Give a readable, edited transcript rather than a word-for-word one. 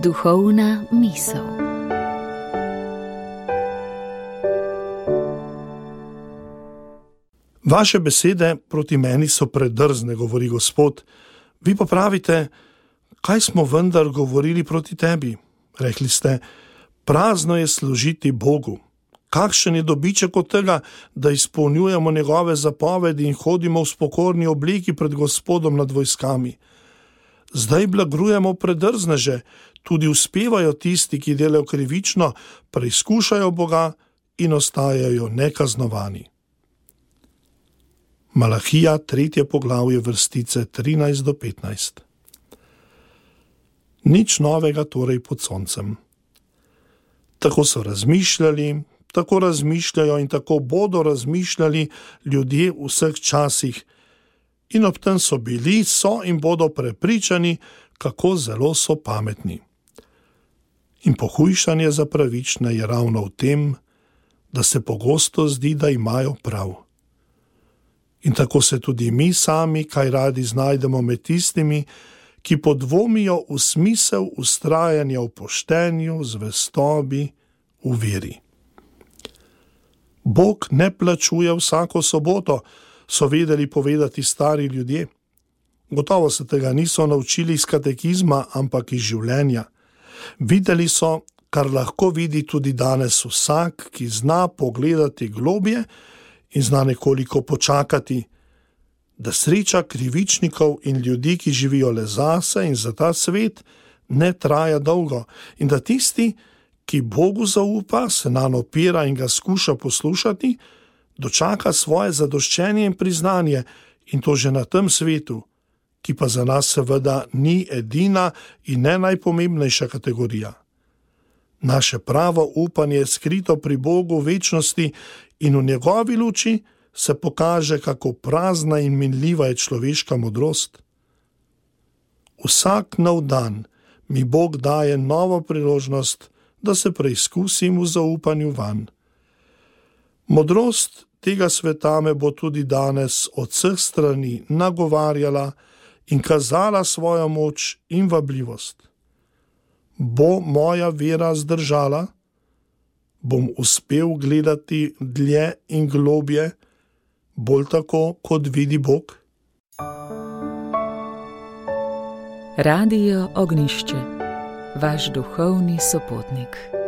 Duhovna misel. Vaše besede proti meni so predrzne, govori Gospod. Vi pa pravite, kaj smo vendar govorili proti tebi? Rekli ste, prazno je služiti Bogu. Kakšen je dobiček od tega, da izpolnjujemo njegove zapovedi in hodimo v spokorni obliki pred Gospodom nad vojskami? Zdaj blagrujemo predrzneže, tudi uspevajo tisti, ki delajo krivično, preizkušajo Boga in ostajajo nekaznovani. Malahija, 3. poglavje, vrstice 13 do 15. Nič novega torej pod soncem. Tako so razmišljali, tako razmišljajo in tako bodo razmišljali ljudje v vseh časih. In ob tem so bili, so in bodo prepričani, kako zelo so pametni. In pohujšanje za pravične je ravno v tem, da se pogosto zdi, da imajo prav. In tako se tudi mi sami kaj radi znajdemo med tistimi, ki podvomijo v smisel vztrajanja v poštenju, zvestobi, v veri. Bog ne plačuje vsako soboto, so vedeli povedati stari ljudje. Gotovo se tega niso naučili iz katekizma, ampak iz življenja. Videli so, kar lahko vidi tudi danes vsak, ki zna pogledati globje in zna nekoliko počakati, da sreča krivičnikov in ljudi, ki živijo le zase in za ta svet, ne traja dolgo in da tisti, ki Bogu zaupa, se nanj opira in ga skuša poslušati, dočaka svoje zadoščenje in priznanje in to že na tem svetu, ki pa za nas seveda ni edina in ne najpomembnejša kategorija. Naše pravo upanje je skrito pri Bogu v večnosti in v njegovi luči se pokaže, kako prazna in minljiva je človeška modrost. Vsak nov dan mi Bog daje novo priložnost, da se preizkusim v zaupanju vanj. Modrost tega sveta me bo tudi danes od vseh strani nagovarjala in kazala svojo moč in vabljivost. Bo moja vera zdržala? Bom uspel gledati dlje in globje, bolj tako, kot vidi Bog? Radio Ognjišče, vaš duhovni sopotnik.